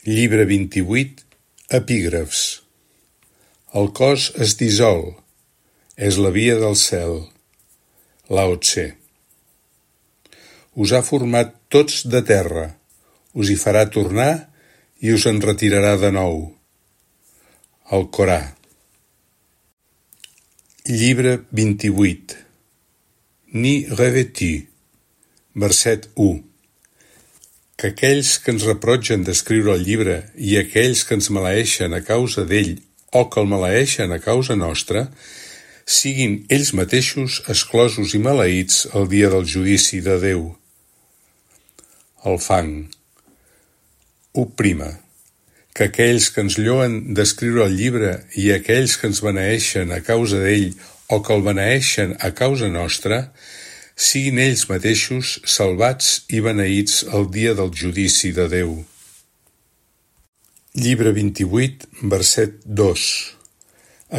Llibre 28, epígrafs. El cos es dissol, és la via del cel. Lao Tse. Us ha format tots de terra, us hi farà tornar i us en retirarà de nou. El Corà. Llibre 28. Ni revêtu. Verset 1. Que aquells que ens reprotgen d'escriure el llibre i aquells que ens maleeixen a causa d'ell o que el maleeixen a causa nostra, siguin ells mateixos exclosos i maleïts el dia del judici de Déu. El fang. 1. Que aquells que ens lloen d'escriure el llibre i aquells que ens beneeixen a causa d'ell o que el beneeixen a causa nostra, siguin ells mateixos salvats i beneïts el dia del judici de Déu. Llibre 28, verset 2.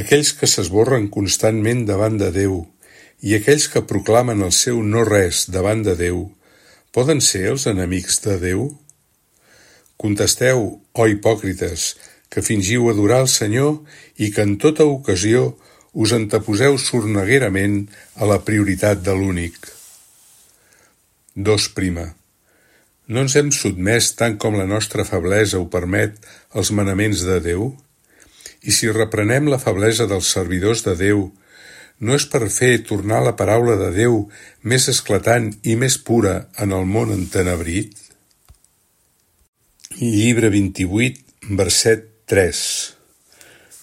Aquells que s'esborren constantment davant de Déu i aquells que proclamen el seu no res davant de Déu, poden ser els enemics de Déu? Contesteu, ó hipòcrites, que fingiu adorar el Senyor i que en tota ocasió us anteposeu sorneguerament a la prioritat de l'únic. 2. No ens hem sotmès tant com la nostra feblesa ho permet als manaments de Déu? I si reprenem la feblesa dels servidors de Déu, no és per fer tornar la paraula de Déu més esclatant i més pura en el món entenebrit? Llibre 28, verset 3.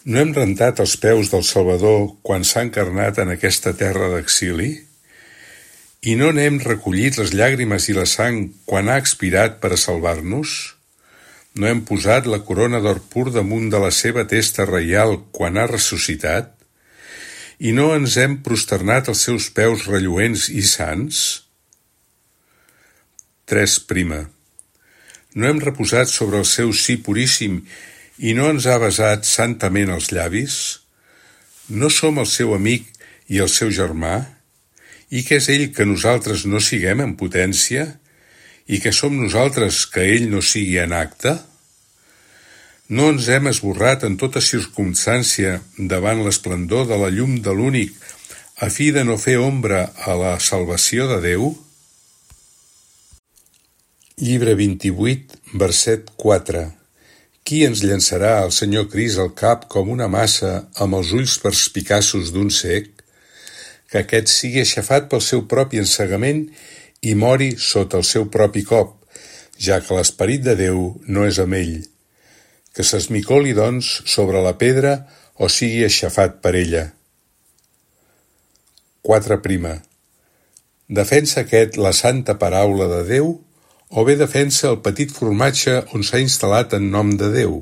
No hem rentat els peus del Salvador quan s'ha encarnat en aquesta terra d'exili? I no n'hem recollit les llàgrimes i la sang quan ha expirat per a salvar-nos? No hem posat la corona d'or pur damunt de la seva testa reial quan ha ressuscitat? I no ens hem prosternat als seus peus relluents i sants? 3. No hem reposat sobre el seu sí puríssim i no ens ha besat santament els llavis? No som el seu amic i el seu germà? I què és ell que nosaltres no siguem en potència? I què som nosaltres que ell no sigui en acte? No ens hem esborrat en tota circumstància davant l'esplendor de la llum de l'únic a fi de no fer ombra a la salvació de Déu? Llibre 28, verset 4. Qui ens llançarà al Senyor Crist al cap com una massa amb els ulls perspicaços d'un cec? Que aquest sigui aixafat pel seu propi ensegament i mori sota el seu propi cop, ja que l'esperit de Déu no és amb ell. Que s'esmicoli, doncs, sobre la pedra o sigui aixafat per ella. 4. Defensa aquest la santa paraula de Déu o bé defensa el petit formatge on s'ha instal·lat en nom de Déu?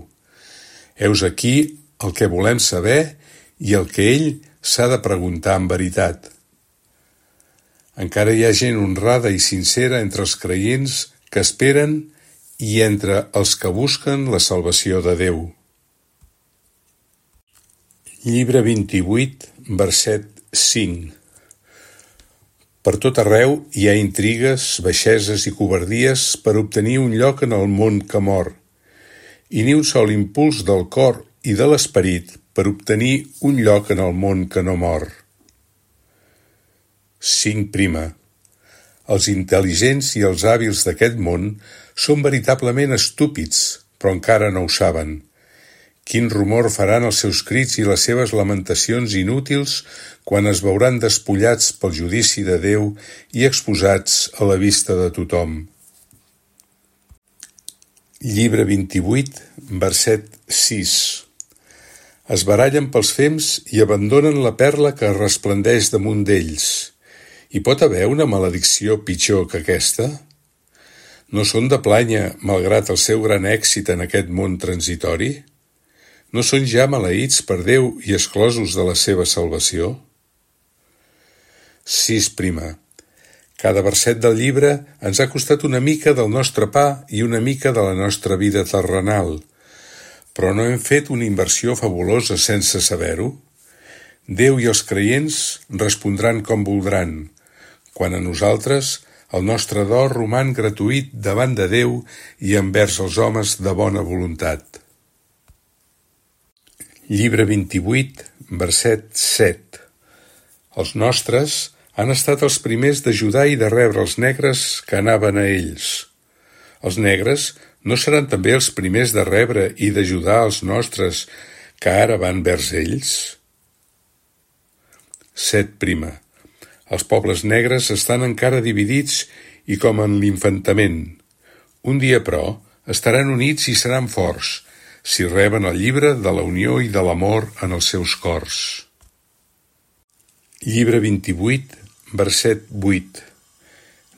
Heus aquí el que volem saber i el que ell s'ha de preguntar amb veritat. Encara hi ha gent honrada i sincera entre els creients que esperen i entre els que busquen la salvació de Déu. Llibre 28, verset 5. Per tot arreu hi ha intrigues, baixeses i covardies per obtenir un lloc en el món que mor, i ni un sol impuls del cor i de l'esperit per obtenir un lloc en el món que no mor. 5. Els intel·ligents i els hàbils d'aquest món són veritablement estúpids, però encara no ho saben. Quin rumor faran els seus crits i les seves lamentacions inútils quan es veuran despullats pel judici de Déu i exposats a la vista de tothom. Llibre 28, verset 6. Es barallen pels fems i abandonen la perla que resplendeix damunt d'ells. Hi pot haver una maledicció pitjor que aquesta? No són de plànyer, malgrat el seu gran èxit en aquest món transitori? No són ja maleïts per Déu i exclosos de la seva salvació? 6. Cada verset del llibre ens ha costat una mica del nostre pa i una mica de la nostra vida terrenal, però no hem fet una inversió fabulosa sense saber-ho? Déu i els creients respondran com voldran, quan a nosaltres El nostre do roman gratuït davant de Déu i envers els homes de bona voluntat. Llibre 28, verset 7. Els nostres han estat els primers d'ajudar i de rebre els negres que anaven a ells. Els negres no seran també els primers de rebre i d'ajudar els nostres que ara van vers ells? 7. Els pobles negres estan encara dividits i com en l'infantament. Un dia, però, estaran units i seran forts, si reben el llibre de la unió i de l'amor en els seus cors. Llibre 28, verset 8.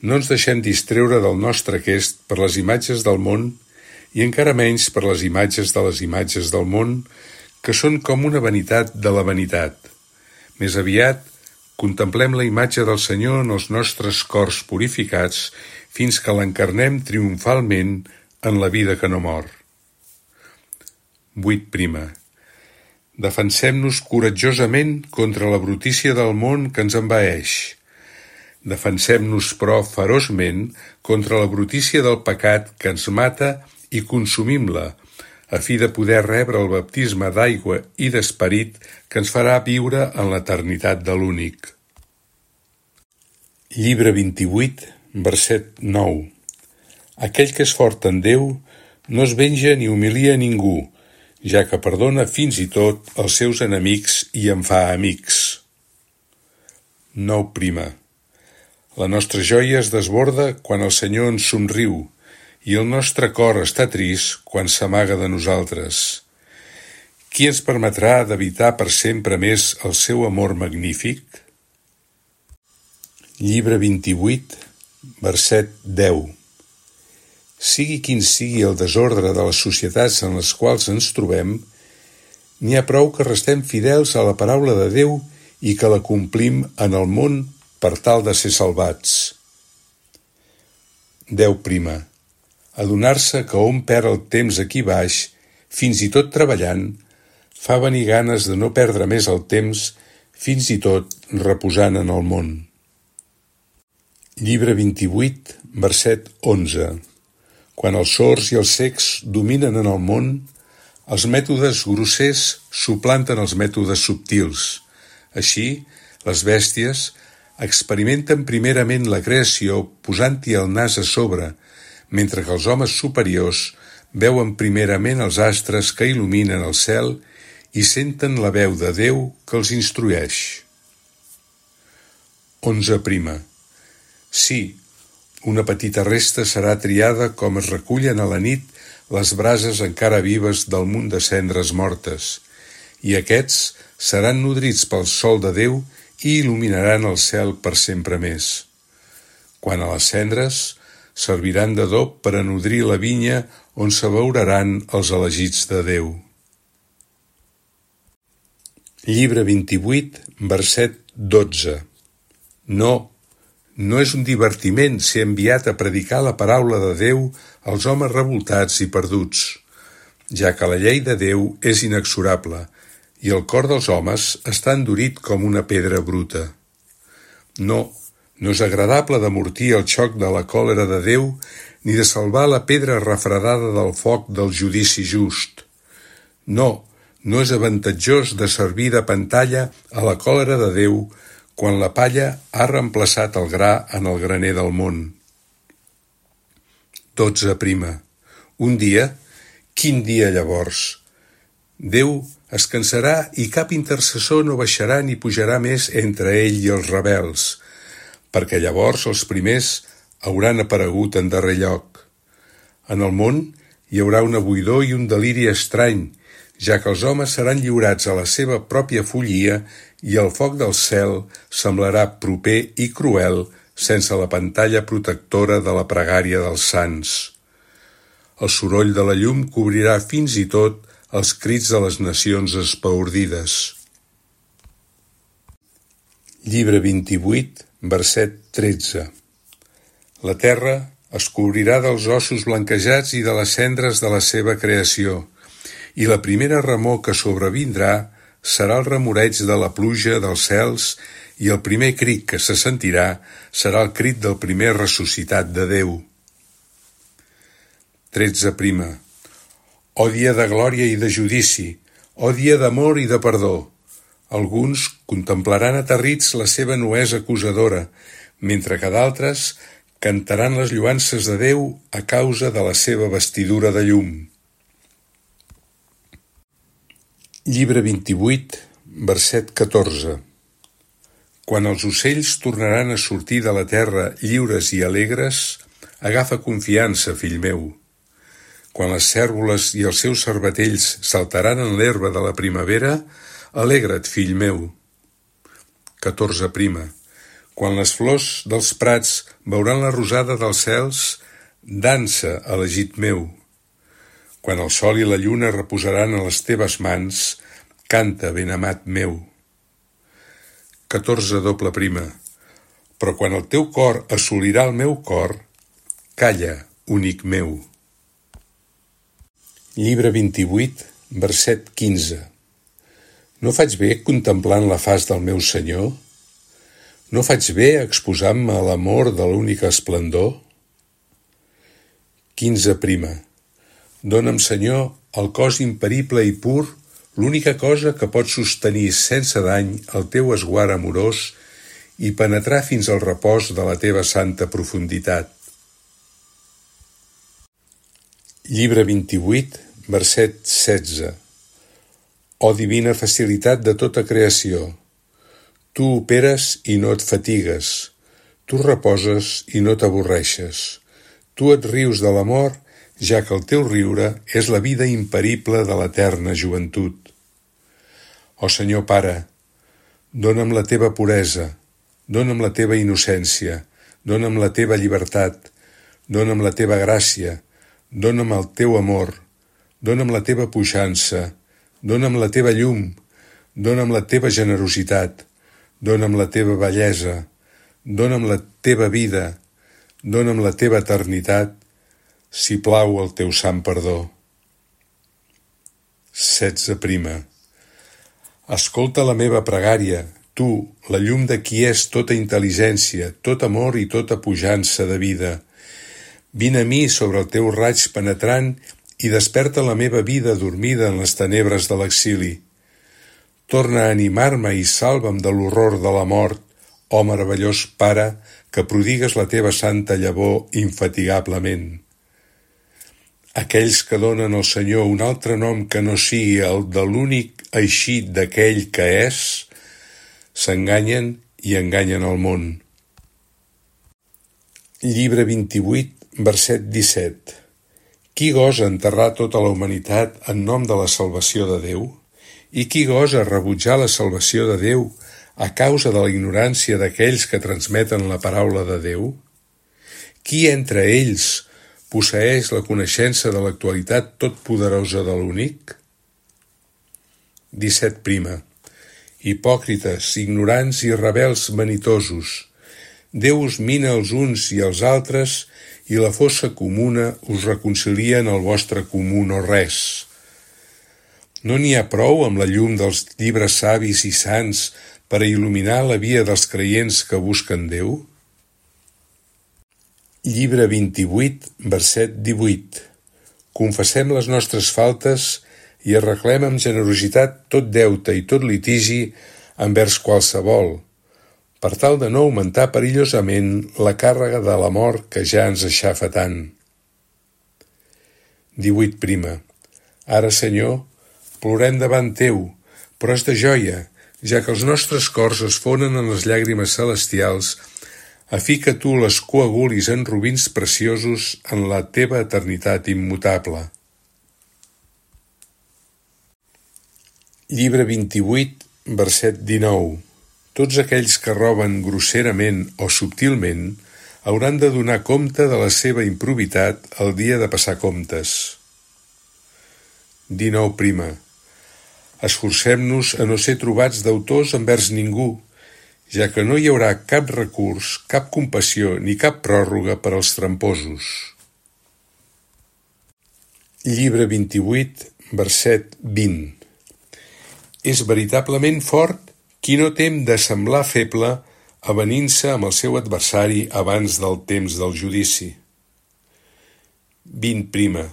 No ens deixem distreure del nostre aquest per les imatges del món i encara menys per les imatges del món, que són com una vanitat de la vanitat. Més aviat, contemplem la imatge del Senyor en els nostres cors purificats fins que l'encarnem triomfalment en la vida que no mor. 8. Defensem-nos coratjosament contra la brutícia del món que ens envaeix. Defensem-nos, però, feroçment contra la brutícia del pecat que ens mata i consumim-la, a fi de poder rebre el baptisme d'aigua i d'esperit que ens farà viure en l'eternitat de l'únic. Llibre 28, verset 9. Aquell que és fort en Déu no es venja ni humilia ningú, ja que perdona fins i tot els seus enemics i en fa amics. 9. La nostra joia es desborda quan el Senyor ens somriu, i el nostre cor està trist quan s'amaga de nosaltres. Qui ens permetrà d'evitar per sempre més el seu amor magnífic? Llibre 28, verset 10. Sigui quin sigui el desordre de les societats en les quals ens trobem, n'hi ha prou que restem fidels a la paraula de Déu i que la complim en el món per tal de ser salvats. 10. Adonar-se que hom perd el temps aquí baix, fins i tot treballant, fa venir ganes de no perdre més el temps, fins i tot reposant en el món. Llibre 28, verset 11. Quan els sords i els cecs dominen en el món, els mètodes grossers suplanten els mètodes subtils. Així, les bèsties experimenten primerament la creació posant-hi el nas a sobre, mentre que els homes superiors veuen primerament els astres que il·luminen el cel i senten la veu de Déu que els instrueix. 11. Sí, una petita resta serà triada com es recullen a la nit les brases encara vives del munt de cendres mortes, i aquests seran nodrits pel sol de Déu i il·luminaran el cel per sempre més. Quant a les cendres, serviran d'adob per a nodrir la vinya on s'abeuraran els elegits de Déu. Llibre 28, verset 12. No és un divertiment ser enviat a predicar la paraula de Déu als homes revoltats i perduts, ja que la llei de Déu és inexorable i el cor dels homes està endurit com una pedra bruta. No és agradable d'amortir el xoc de la còlera de Déu ni de salvar la pedra refredada del foc del judici just. No és avantatjós de servir de pantalla a la còlera de Déu quan la palla ha reemplaçat el gra en el graner del món. 12. Un dia? Quin dia llavors? Déu es cansarà i cap intercessor no baixarà ni pujarà més entre ell i els rebels, perquè llavors els primers hauran aparegut en darrer lloc. En el món hi haurà una buidor i un deliri estrany, ja que els homes seran lliurats a la seva pròpia follia i el foc del cel semblarà proper i cruel sense la pantalla protectora de la pregària dels sants. El soroll de la llum cobrirà fins i tot els crits de les nacions espaordides. Llibre 28, verset 13. La terra es cobrirà dels ossos blanquejats i de les cendres de la seva creació, i la primera remor que sobrevindrà serà el remoreig de la pluja dels cels i el primer crit que se sentirà serà el crit del primer ressuscitat de Déu. 13. Ó dia de glòria i de judici, ó dia d'amor i de perdó. Alguns contemplaran aterrits la seva nuesa acusadora, mentre que d'altres cantaran les lloances de Déu a causa de la seva vestidura de llum. Llibre 28, verset 14. Quan els ocells tornaran a sortir de la terra lliures i alegres, agafa confiança, fill meu. Quan les cérvoles i els seus cervatells saltaran en l'herba de la primavera, alegra't, fill meu. 14. Quan les flors dels prats veuran la rosada dels cels, dansa, elegit meu. Quan el sol i la lluna reposaran a les teves mans, canta, benamat meu. 14. Però quan el teu cor assolirà el meu cor, calla, únic meu. Llibre 28, verset 15. No faig bé contemplant la faç del meu Senyor? No faig bé exposant-me a l'amor de l'únic esplendor? 15. Dóna'm, Senyor, el cos imperible i pur, l'única cosa que pot sostenir sense dany el teu esguard amorós i penetrar fins al repòs de la teva santa profunditat. Llibre 28, verset 16. Ó divina facilitat de tota creació, tu operes i no et fatigues, tu reposes i no t'avorreixes, tu et rius de l'amor, ja que el teu riure és la vida imperible de l'eterna joventut. Ó Senyor Pare, dona'm la teva puresa, dona'm la teva innocència, dona'm la teva llibertat, dona'm la teva gràcia, dona'm el teu amor, dona'm la teva puixança, dona'm la teva llum, dona'm la teva generositat, dona'm la teva bellesa, dona'm la teva vida, dona'm la teva eternitat, si plau el teu sant perdó. 16. Escolta la meva pregària, tu, la llum de qui és tota intel·ligència, tot amor i tota pujança de vida. Vine a mi sobre el teu raig penetrant i desperta la meva vida dormida en les tenebres de l'exili. Torna a animar-me i salva'm de l'horror de la mort, ó meravellós Pare, que prodigues la teva santa llavor infatigablement. Aquells que donen al Senyor un altre nom que no sigui el de l'únic eixit d'aquell que és, s'enganyen i enganyen el món. Llibre 28, verset 17. Qui gosa enterrar tota la humanitat en nom de la salvació de Déu? I qui gosa rebutjar la salvació de Déu a causa de la ignorància d'aquells que transmeten la paraula de Déu? Qui entre ells posseeix la coneixença de l'actualitat totpoderosa de l'únic? 17. Hipòcrites, ignorants i rebels vanitosos, Déu us mina els uns i els altres i la fossa comuna us reconcilia en el vostre comú no res. No n'hi ha prou amb la llum dels llibres savis i sants per a il·luminar la via dels creients que busquen Déu? Llibre 28, verset 18. Confessem les nostres faltes i arreglem amb generositat tot deute i tot litigi envers qualsevol, per tal de no augmentar perillosament la càrrega de la mort que ja ens aixafa tant. 18. Ara, Senyor, plorem davant teu, però és de joia, ja que els nostres cors es fonen en les llàgrimes celestials, a fi que tu les coagulis en robins preciosos en la teva eternitat immutable. Llibre 28, verset 19. Tots aquells que roben grosserament o subtilment hauran de donar compte de la seva improbitat el dia de passar comptes. 19. Esforcem-nos a no ser trobats deutors envers ningú, ja que no hi haurà cap recurs, cap compassió ni cap pròrroga per als tramposos. Llibre 28, verset 20. És veritablement fort Qui no tem de semblar feble, avenint-se amb el seu adversari abans del temps del judici. 20.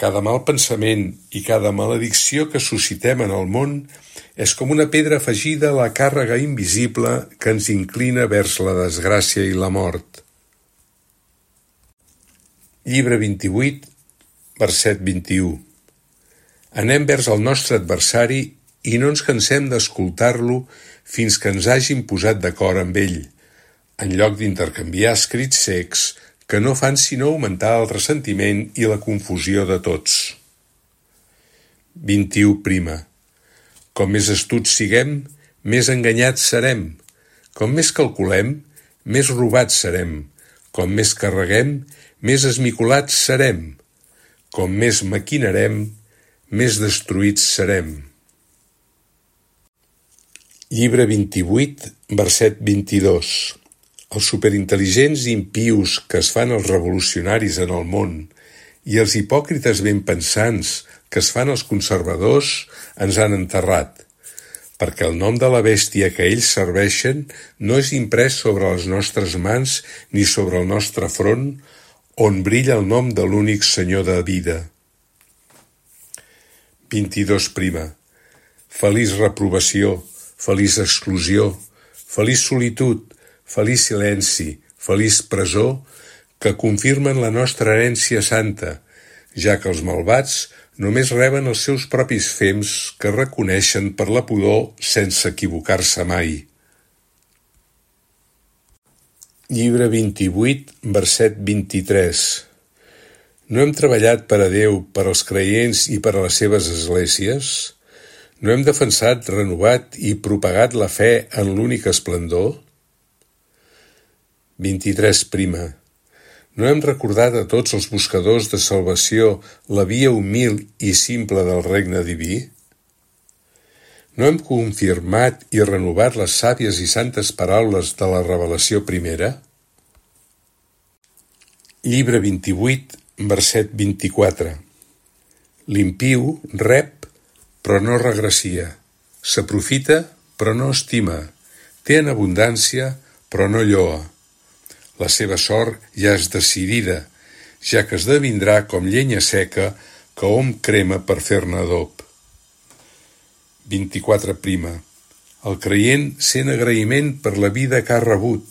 Cada mal pensament i cada maledicció que suscitem en el món és com una pedra afegida a la càrrega invisible que ens inclina vers la desgràcia i la mort. Llibre 28, verset 21. Anem vers el nostre adversari i no ens cansem d'escoltar-lo fins que ens hàgim posat d'acord amb ell, en lloc d'intercanviar escrits secs que no fan sinó augmentar el ressentiment i la confusió de tots. 21. Com més astuts siguem, més enganyats serem. Com més calculem, més robats serem. Com més carreguem, més esmicolats serem. Com més maquinarem, més destruïts serem. Llibre 28, verset 22. Els superintel·ligents i impius que es fan els revolucionaris en el món i els hipòcrites ben pensants que es fan els conservadors ens han enterrat, perquè el nom de la bèstia que ells serveixen no és imprès sobre les nostres mans ni sobre el nostre front, on brilla el nom de l'únic Senyor de vida. 22. Feliç reprovació, feliç exclusió, feliç solitud, feliç silenci, feliç presó, que confirmen la nostra herència santa, ja que els malvats només reben els seus propis fems que reconeixen per la pudor sense equivocar-se mai. Llibre 28, verset 23. No hem treballat per a Déu, per als creients i per a les seves esglésies? No hem defensat, renovat i propagat la fe en l'únic esplendor? 23. No hem recordat a tots els buscadors de salvació la via humil i simple del regne diví? No hem confirmat i renovat les sàvies i santes paraules de la revelació primera? Llibre 28, verset 24. L'impiu rep, però no regrecia, s'aprofita, però no estima, té en abundància, però no lloa. La seva sort ja és decidida, ja que esdevindrà com llenya seca que hom crema per fer-ne adob. 24. El creient sent agraïment per la vida que ha rebut,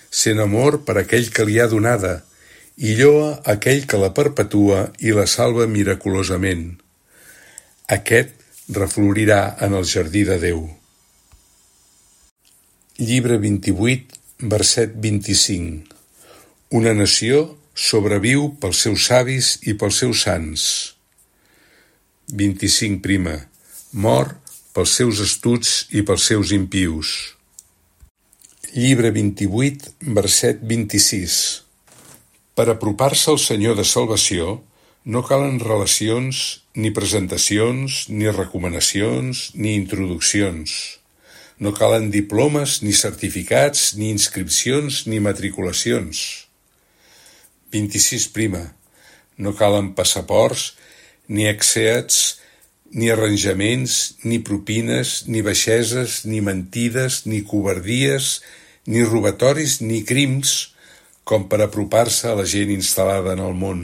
sent amor per aquell que li ha donada, i lloa aquell que la perpetua i la salva miraculosament. Aquest reflorirà en el jardí de Déu. Llibre 28, verset 25. Una nació sobreviu pels seus savis i pels seus sants. 25. Mor pels seus astuts i pels seus impius. Llibre 28, verset 26. Per apropar-se al Senyor de salvació no calen relacions, ni presentacions, ni recomanacions, ni introduccions. No calen diplomes, ni certificats, ni inscripcions, ni matriculacions. 26. No calen passaports, ni exeats, ni arranjaments, ni propines, ni baixeses, ni mentides, ni covardies, ni robatoris, ni crims, com per apropar-se a la gent instal·lada en el món.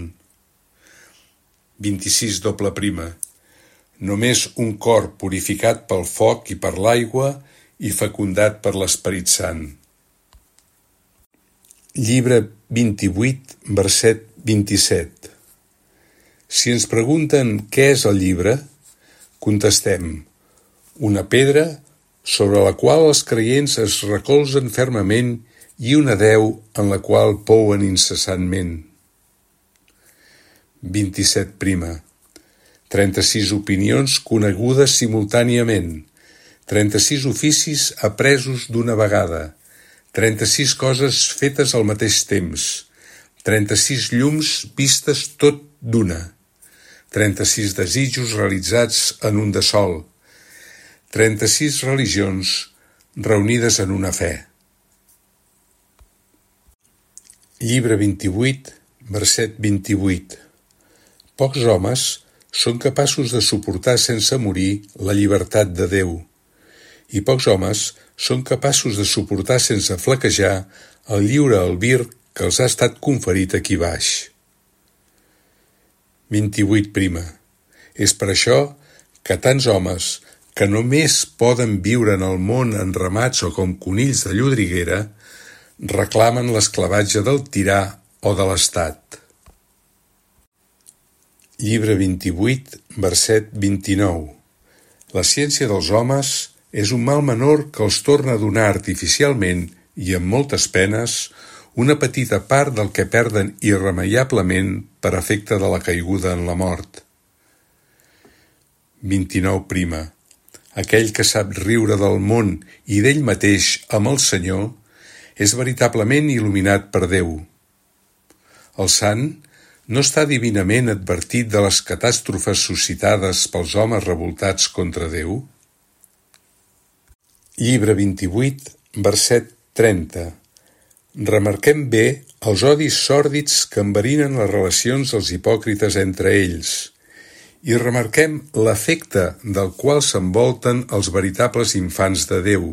26. Només un cor purificat pel foc i per l'aigua i fecundat per l'Esperit Sant. Llibre 28, verset 27. Si ens pregunten què és el llibre, contestem: una pedra sobre la qual els creients es recolzen fermament i una deu en la qual pouen incessantment. 27. 36 opinions conegudes simultàniament, 36 oficis apresos d'una vegada, 36 coses fetes al mateix temps, 36 llums vistes tot d'una, 36 desitjos realitzats en un de sol, 36 religions reunides en una fe. Llibre 28, verset 28. Pocs homes són capaços de suportar sense morir la llibertat de Déu, i pocs homes són capaços de suportar sense flaquejar el lliure albir que els ha estat conferit aquí baix. 28. És per això que tants homes que només poden viure en el món enramats o com conills de llodriguera reclamen l'esclavatge del tirà o de l'Estat. Llibre 28, verset 29. La ciència dels homes és un mal menor que els torna a donar artificialment i amb moltes penes una petita part del que perden irremeiablement per efecte de la caiguda en la mort. 29. Aquell que sap riure del món i d'ell mateix amb el Senyor és veritablement il·luminat per Déu. El sant no està divinament advertit de les catàstrofes suscitades pels homes revoltats contra Déu? Llibre 28, verset 30. Remarquem bé els odis sòrdids que enverinen les relacions dels hipòcrites entre ells i remarquem l'efecte del qual s'envolten els veritables infants de Déu.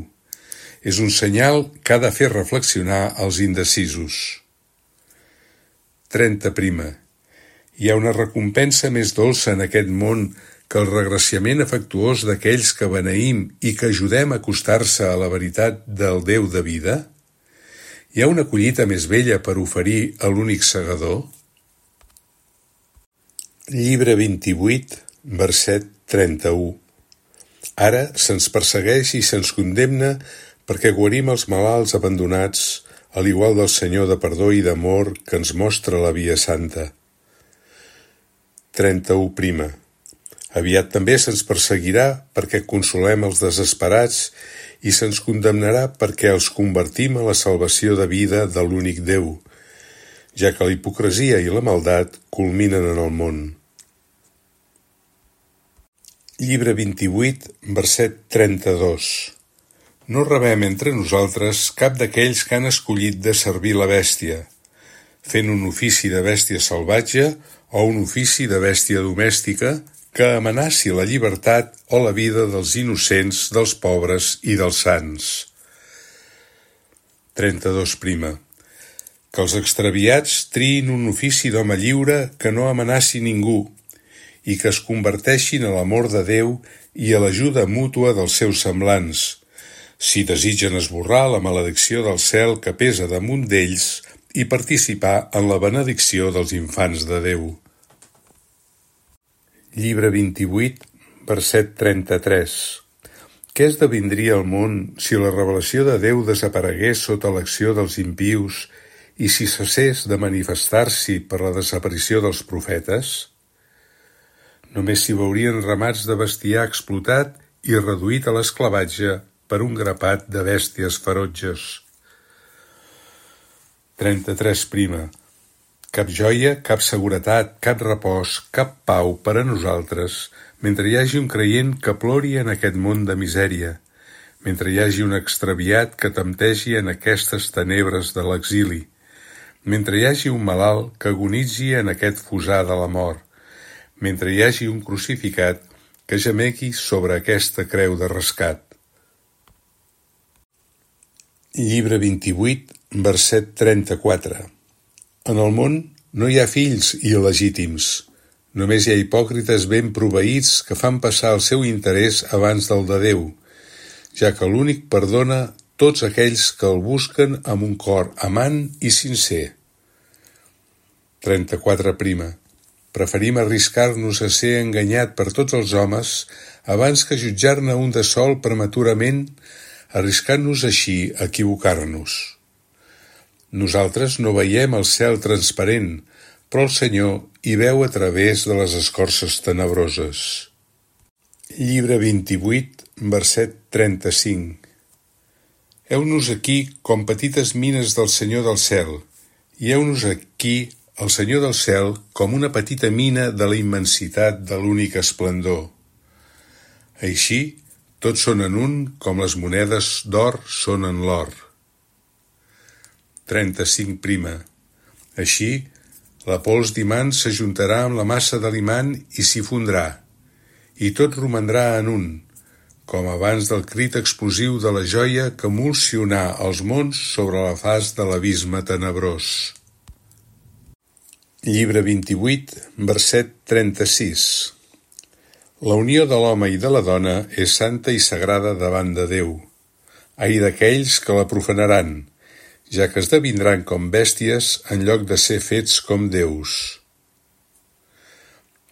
És un senyal que ha de fer reflexionar els indecisos. 30. Hi ha una recompensa més dolça en aquest món que el regraciament afectuós d'aquells que beneïm i que ajudem a acostar-se a la veritat del Déu de vida? Hi ha una collita més bella per oferir a l'únic segador? Llibre 28, verset 31. Ara se'ns persegueix i se'ns condemna perquè guarim els malalts abandonats, a l'igual del Senyor de perdó i d'amor que ens mostra la via santa. 31. Aviat també se'ns perseguirà perquè consolem els desesperats i se'ns condemnarà perquè els convertim a la salvació de vida de l'únic Déu, ja que la hipocresia i la maldat culminen en el món. Llibre 28, verset 32. No rebem entre nosaltres cap d'aquells que han escollit de servir la bèstia, fent un ofici de bèstia salvatge o un ofici de bèstia domèstica que amenaci la llibertat o la vida dels innocents, dels pobres i dels sants. 32. Que els extraviats triïn un ofici d'home lliure que no amenaci ningú i que es converteixin a l'amor de Déu i a l'ajuda mútua dels seus semblants, si desitgen esborrar la maledicció del cel que pesa damunt d'ells i participar en la benedicció dels infants de Déu. Llibre 28, verset 33. Què esdevindria el món si la revelació de Déu desaparegués sota l'acció dels impius i si cessés de manifestar-s'hi per la desaparició dels profetes? Només s'hi veurien ramats de bestiar explotat i reduït a l'esclavatge per un grapat de bèsties ferotges. 33. Cap joia, cap seguretat, cap repòs, cap pau per a nosaltres, mentre hi hagi un creient que plori en aquest món de misèria, mentre hi hagi un extraviat que temptegi en aquestes tenebres de l'exili, mentre hi hagi un malalt que agonitzi en aquest fossar de la mort, mentre hi hagi un crucificat que gemegui sobre aquesta creu de rescat. Llibre 28, verset 34. En el món no hi ha fills il·legítims, només hi ha hipòcrites ben proveïts que fan passar el seu interès abans del de Déu, ja que l'únic perdona tots aquells que el busquen amb un cor amant i sincer. 34. Preferim arriscar-nos a ser enganyat per tots els homes abans que jutjar-ne un de sol prematurament, arriscant-nos així a equivocar-nos. Nosaltres no veiem el cel transparent, però el Senyor hi veu a través de les escorces tenebroses. Llibre 28, verset 35. Heu-nos aquí com petites mines del Senyor del cel, i heu-nos aquí el Senyor del cel com una petita mina de la immensitat de l'únic esplendor. Així, tots són en un com les monedes d'or són en l'or. 35. Així, la pols d'imant s'ajuntarà amb la massa de l'imant i s'hi fondrà, i tot romandrà en un, com abans del crit explosiu de la joia que emulsionà els mons sobre la faç de l'abisme tenebrós. Llibre 28, verset 36. La unió de l'home i de la dona és santa i sagrada davant de Déu. Ai d'aquells que la profanaran, ja que esdevindran com bèsties en lloc de ser fets com déus.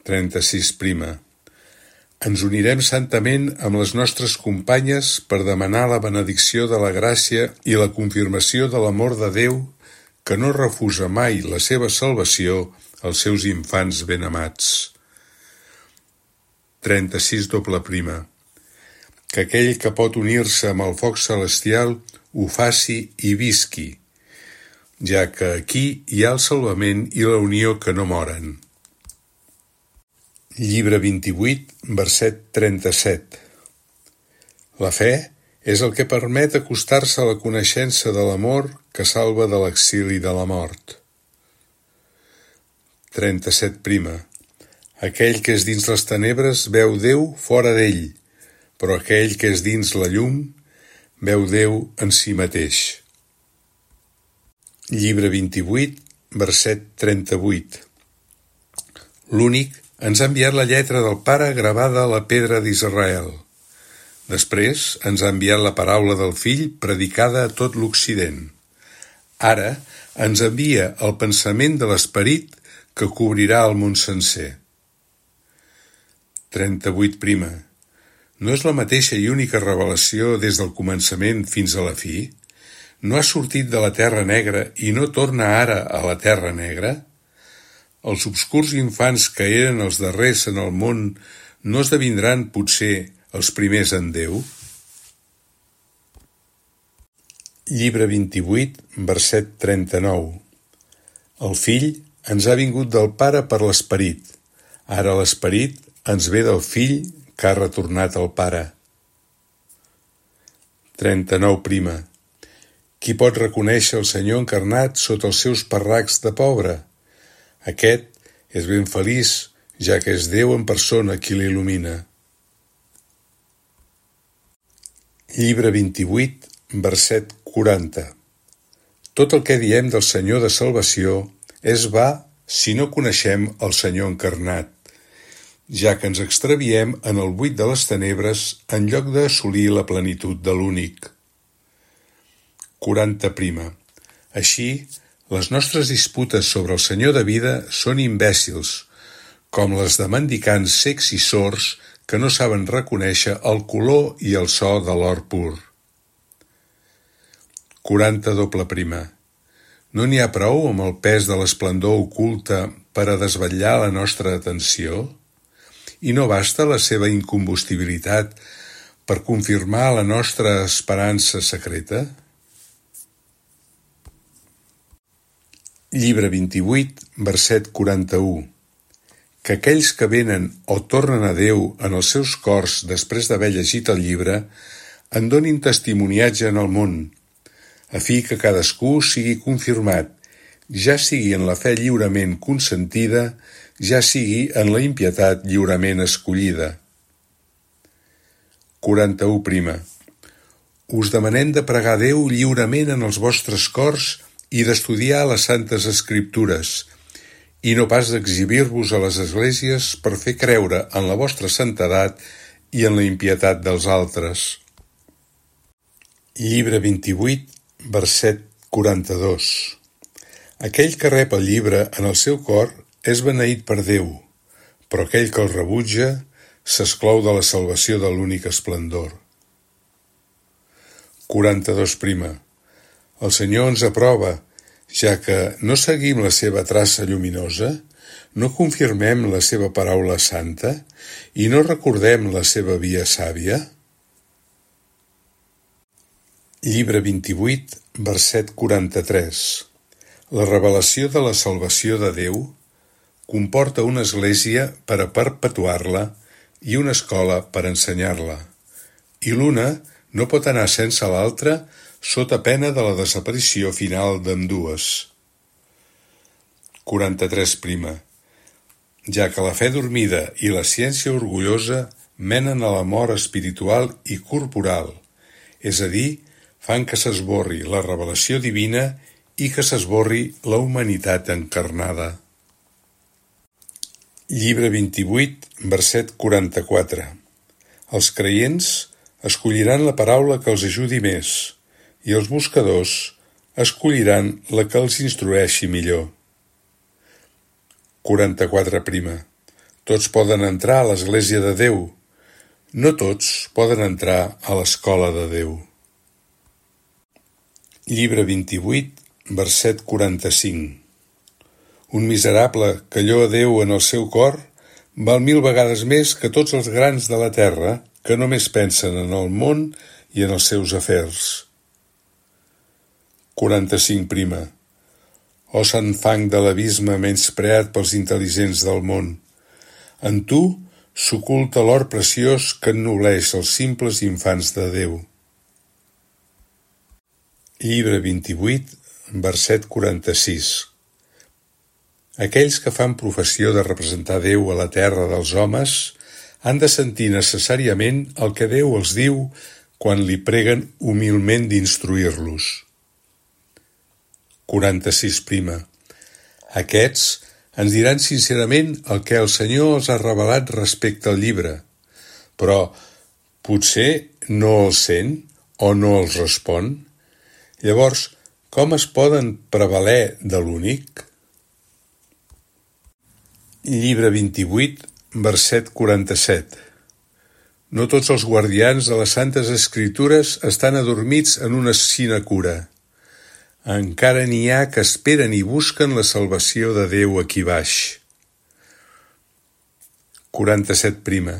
36. Ens unirem santament amb les nostres companyes per demanar la benedicció de la gràcia i la confirmació de l'amor de Déu, que no refusa mai la seva salvació als seus infants ben amats. 36. Que aquell que pot unir-se amb el foc celestial ho faci i visqui, ja que aquí hi ha el salvament i la unió que no moren. Llibre 28, verset 37. La fe és el que permet acostar-se a la coneixença de l'amor que salva de l'exili de la mort. 37. Aquell que és dins les tenebres veu Déu fora d'ell, però aquell que és dins la llum veu Déu en si mateix. Llibre 28, verset 38. L'únic ens ha enviat la lletra del Pare gravada a la pedra d'Israel. Després ens ha enviat la paraula del Fill predicada a tot l'Occident. Ara ens envia el pensament de l'Esperit que cobrirà el món sencer. 38. No és la mateixa i única revelació des del començament fins a la fi? No ha sortit de la terra negra i no torna ara a la terra negra? Els obscurs infants que eren els darrers en el món no esdevindran, potser, els primers en Déu? Llibre 28, verset 39. El Fill ens ha vingut del Pare per l'Esperit. Ara l'Esperit ens ve del Fill que ha retornat al Pare. 39. Qui pot reconèixer el Senyor encarnat sota els seus parracs de pobre? Aquest és ben feliç, ja que és Déu en persona qui l'il·lumina. Llibre 28, verset 40. Tot el que diem del Senyor de salvació és va si no coneixem el Senyor encarnat, ja que ens extraviem en el buit de les tenebres en lloc d'assolir la plenitud de l'únic. 40. Així, les nostres disputes sobre el Senyor de vida són imbècils, com les de mendicants cecs i sords que no saben reconèixer el color i el so de l'or pur. 40. No n'hi ha prou amb el pes de l'esplendor oculta per a desvetllar la nostra atenció? I no basta la seva incombustibilitat per confirmar la nostra esperança secreta? Llibre 28, verset 41. Que aquells que venen o tornen a Déu en els seus cors després d'haver llegit el llibre en donin testimoniatge en el món, a fi que cadascú sigui confirmat, ja sigui en la fe lliurement consentida, ja sigui en la impietat lliurement escollida. 41. Us demanem de pregar Déu lliurement en els vostres cors i d'estudiar les Santes Escriptures, i no pas d'exhibir-vos a les esglésies per fer creure en la vostra santedat i en la impietat dels altres. Llibre 28, verset 42. Aquell que rep el llibre en el seu cor és beneït per Déu, però aquell que el rebutja s'exclou de la salvació de l'únic esplendor. 42. El Senyor ens aprova, ja que no seguim la seva traça lluminosa, no confirmem la seva paraula santa i no recordem la seva via sàvia? Llibre 28, verset 43. La revelació de la salvació de Déu comporta una església per a perpetuar-la i una escola per ensenyar-la, i l'una no pot anar sense l'altra sota pena de la desaparició final d'ambdues. 43. Ja que la fe dormida i la ciència orgullosa menen a la mort espiritual i corporal, és a dir, fan que s'esborri la revelació divina i que s'esborri la humanitat encarnada. Llibre 28, verset 44. Els creients escolliran la paraula que els ajudi més i els buscadors escolliran la que els instrueixi millor. 44 prima. Tots poden entrar a l'Església de Déu. No tots poden entrar a l'Escola de Déu. Llibre 28, verset 45. Un miserable que lloa Déu en el seu cor val 1000 vegades més que tots els grans de la terra que només pensen en el món i en els seus afers. 45 prima. Oh sant fang de l'abisme menyspreat pels intel·ligents del món. En tu s'oculta l'or preciós que ennobleix els simples infants de Déu. Llibre 28, verset 46. Aquells que fan professió de representar Déu a la terra dels homes han de sentir necessàriament el que Déu els diu quan li preguen humilment d'instruir-los. 46 prima. Aquests ens diran sincerament el que el Senyor els ha revelat respecte al llibre, però potser no els sent o no els respon. Llavors, com es poden prevaler de l'únic? Llibre 28, verset 47. No tots els guardians de les Santes Escritures estan adormits en una sinecura. Encara n'hi ha que esperen i busquen la salvació de Déu aquí baix. 47 prima.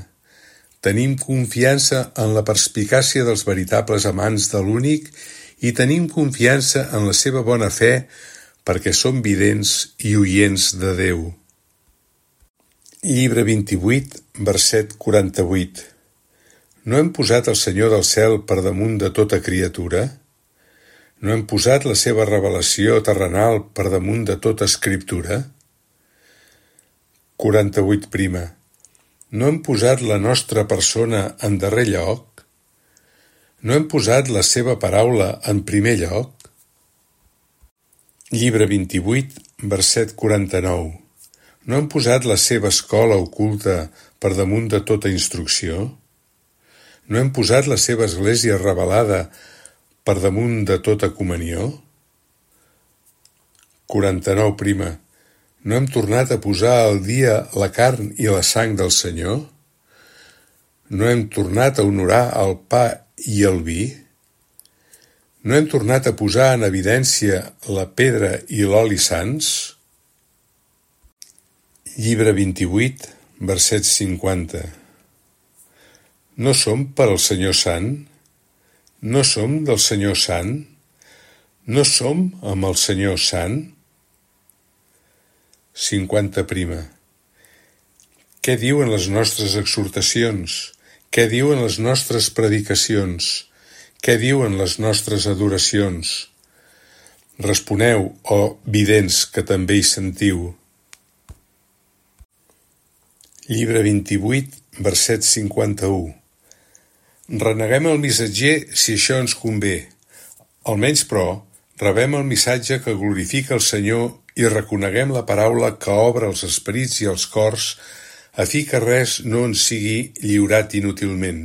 Tenim confiança en la perspicàcia dels veritables amants de l'únic i tenim confiança en la seva bona fe perquè som vidents i oients de Déu. Llibre 28, verset 48. No hem posat el Senyor del cel per damunt de tota criatura? No hem posat la seva revelació terrenal per damunt de tota escriptura? 48 prima. No hem posat la nostra persona en darrer lloc? No hem posat la seva paraula en primer lloc? Llibre 28, verset 49. No hem posat la seva escola oculta per damunt de tota instrucció? No hem posat la seva església revelada per damunt de tota comunió? 49 prima. No hem tornat a posar al dia la carn i la sang del Senyor? No hem tornat a honorar el pa i el vi? No hem tornat a posar en evidència la pedra i l'oli sants? Llibre 28, verset 50. No som per al Senyor Sant? No som del Senyor Sant? No som amb el Senyor Sant? 50 prima. Què diuen les nostres exhortacions? Què diuen les nostres predicacions? Què diuen les nostres adoracions? Responeu, oh vidents que també hi sentiu. Llibre 28, verset 51. Reneguem el missatger si això ens convé. Almenys, però, rebem el missatge que glorifica el Senyor i reconeguem la paraula que obre els esperits i els cors a fi que res no ens sigui lliurat inútilment.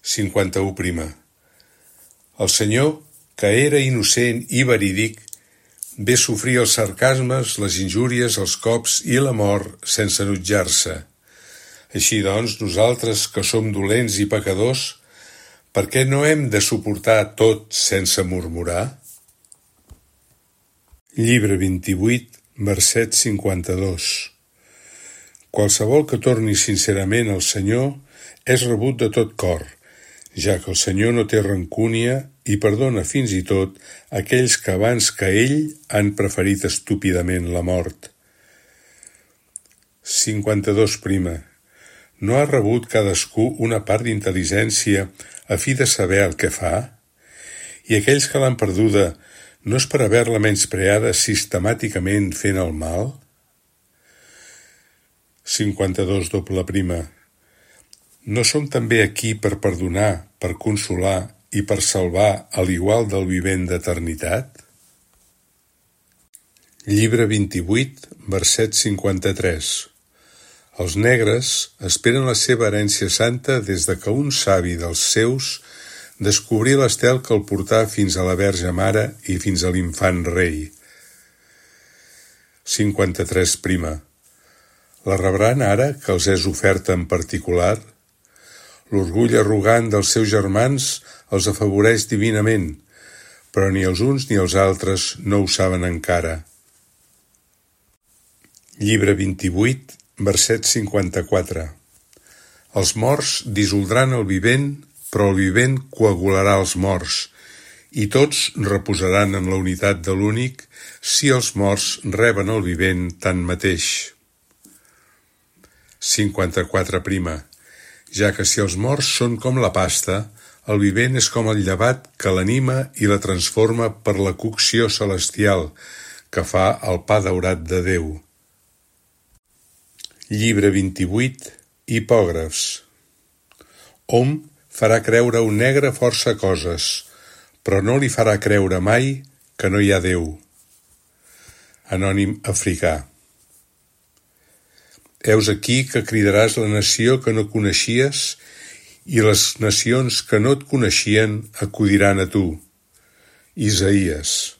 51 prima. El Senyor, que era innocent i verídic, ve sofrir els sarcasmes, les injúries, els cops i la mort sense enutjar-se. Així doncs, nosaltres, que som dolents i pecadors, per què no hem de suportar tot sense murmurar? Llibre 28, verset 52. Qualsevol que torni sincerament al Senyor és rebut de tot cor, ja que el Senyor no té rancúnia i perdona fins i tot aquells que abans que ell han preferit estúpidament la mort. 52 prima. No ha rebut cadascú una part d'intel·ligència a fi de saber el que fa? I aquells que l'han perduda no és per haver-la menyspreada sistemàticament fent el mal? 52 doble prima. No som també aquí per perdonar, per consolar i per salvar a l'igual del vivent d'eternitat? Llibre 28, verset 53. Els negres esperen la seva herència santa des de que un savi dels seus descobrí l'estel que el portà fins a la Verge Mare i fins a l'infant rei. 53. La rebran ara que els és oferta en particular? L'orgull arrogant dels seus germans els afavoreix divinament, però ni els uns ni els altres no ho saben encara. Llibre 28, verset 54. Els morts dissoldran el vivent, però el vivent coagularà els morts, i tots reposaran en la unitat de l'únic si els morts reben el vivent tanmateix. 54. Ja que si els morts són com la pasta, el vivent és com el llevat que l'anima i la transforma per la cocció celestial que fa el pa daurat de Déu. Llibre 28, Hipògrafs. Hom farà creure un negre força coses, però no li farà creure mai que no hi ha Déu. Anònim africà. Heus aquí que cridaràs la nació que no coneixies i les nacions que no et coneixien acudiran a tu. Isaïes.